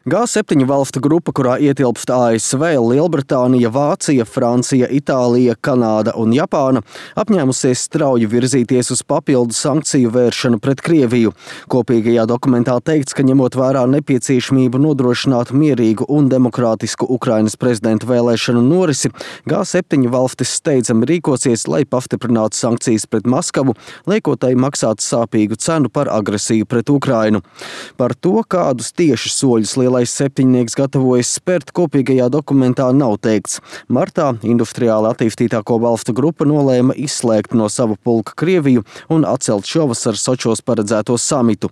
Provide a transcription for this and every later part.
G7 valstu grupa, kurā ietilpst ASV, Lielbritānija, Vācija, Francija, Itālija, Kanāda un Japāna, apņēmusies strauji virzīties uz papildu sankciju vēršanu pret Krieviju. Kopīgajā dokumentā teikts, ka ņemot vērā nepieciešamību nodrošināt mierīgu un demokrātisku Ukrainas prezidenta vēlēšanu norisi, G7 valstis steidzami rīkosies, lai pastiprinātu sankcijas pret Maskavu, liekot tai maksāt sāpīgu cenu par agresiju pret Ukrainu. Par to, kādus tieši soļus Lielais septiņnieks gatavojas spērt, kopīgajā dokumentā nav teikts. Martā industriāli attīstītāko valstu grupa nolēma izslēgt no sava pulka Krieviju un atcelt šovasar Sočos paredzēto samitu.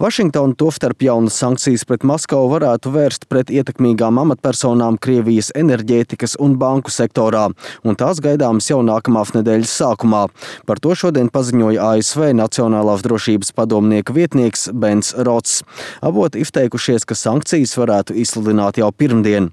Vašingtona tostarp jaunas sankcijas pret Maskavu varētu vērst pret ietekmīgām amatpersonām Krievijas enerģētikas un banku sektorā, un tās gaidāmas jau nākamās nedēļas sākumā. Par to šodien paziņoja ASV Nacionālās drošības padomnieka vietnieks Bens Rots. Avoti izteikušies, ka sankcijas varētu izsludināt jau pirmdien.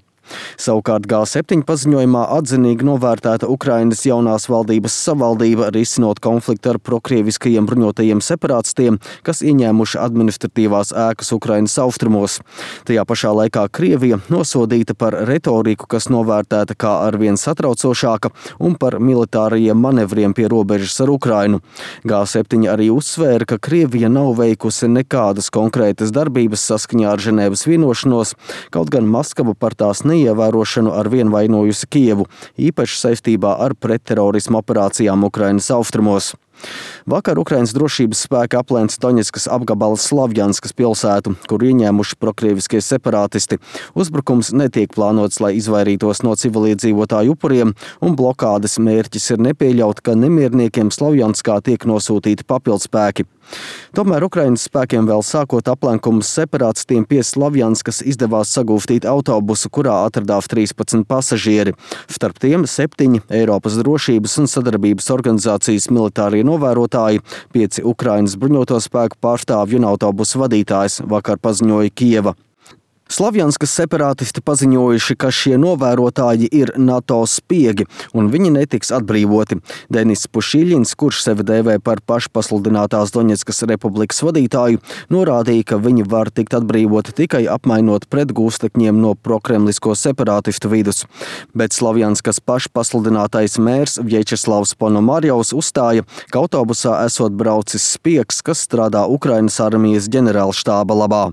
Savukārt G7 paziņojumā atzinīgi novērtēta Ukrainas jaunās valdības savaldība, risinot konfliktu ar prokrieviskajiem bruņotajiem separātistiem, kas ieņēmuši administratīvās ēkas Ukrainas austrumos. Tajā pašā laikā Krievija nosodīta par retoriku, kas novērtēta kā arvien satraucošāka, un par militārajiem manevriem pie robežas ar Ukrainu. G7 arī uzsvēra, ka Krievija nav veikusi nekādas konkrētas darbības saskaņā ar Ženēvas vienošanos, kaut gan Maskava par tās ievērošanu ar vien vainojusi Kijevu, īpaši saistībā ar pretterorismu operācijām Ukrainas austrumos. Vakar Ukrainas drošības spēki aplēca Doņetskas apgabala Slavjanskas pilsētu, kur ieņēmuši prokrieviskie separātisti. Uzbrukums netiek plānots, lai izvairītos no civiliedzīvotāju upuriem, un blokādes mērķis ir nepieļaut, ka nemierniekiem Slavjanskā tiek nosūtīti papildspēki. Tomēr Ukrainas spēkiem vēl sākot aplenkumus separātistiem pie Slavjanskas izdevās sagūstīt autobusu, kurā atradās 13 pasažieri. Starp tiem 7 Eiropas drošības un sadarbības organizācijas militārie novērotāji, 5 Ukrainas bruņoto spēku pārstāvju un autobusu vadītājs, vakar paziņoja Kijeva. Slavjanskas separātisti paziņojuši, ka šie novērotāji ir NATO spiegi, un viņi netiks atbrīvoti. Denis Pušiļins, kurš sevi dēvē par pašpasludinātās Doņetskas republikas vadītāju, norādīja, ka viņi var tikt atbrīvoti tikai apmainot pret gūstekņiem no prokremlisko separātistu vidus. Bet Slavjanskas pašpasludinātais mērs Vječeslavs Ponomarjovs uzstāja, ka autobusā esot braucis spiegs, kas strādā Ukrainas armijas ģenerālštāba labā.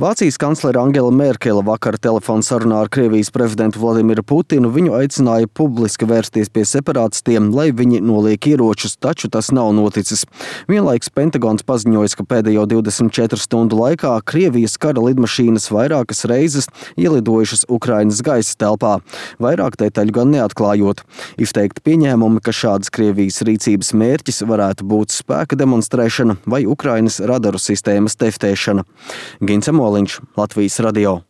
Vācijas kanclere Angela Merkele vakar telefonsarunā ar Krievijas prezidentu Vladimiru Putinu viņu aicināja publiski vērsties pie separātistiem, lai viņi noliek ieročus, taču tas nav noticis. Vienlaiks Pentagons paziņoja, ka pēdējo 24 stundu laikā Krievijas kara lidmašīnas vairākas reizes ielidojušas Ukrainas gaisa telpā, vairāk detaļu gan neatklājot. Izteikti pieņēmumi, ka šādas Krievijas rīcības mērķis varētu būt spēka demonstrēšana vai Ukrainas radaru sistēmas testēšana. Gints Moliņš, Latvijas radio.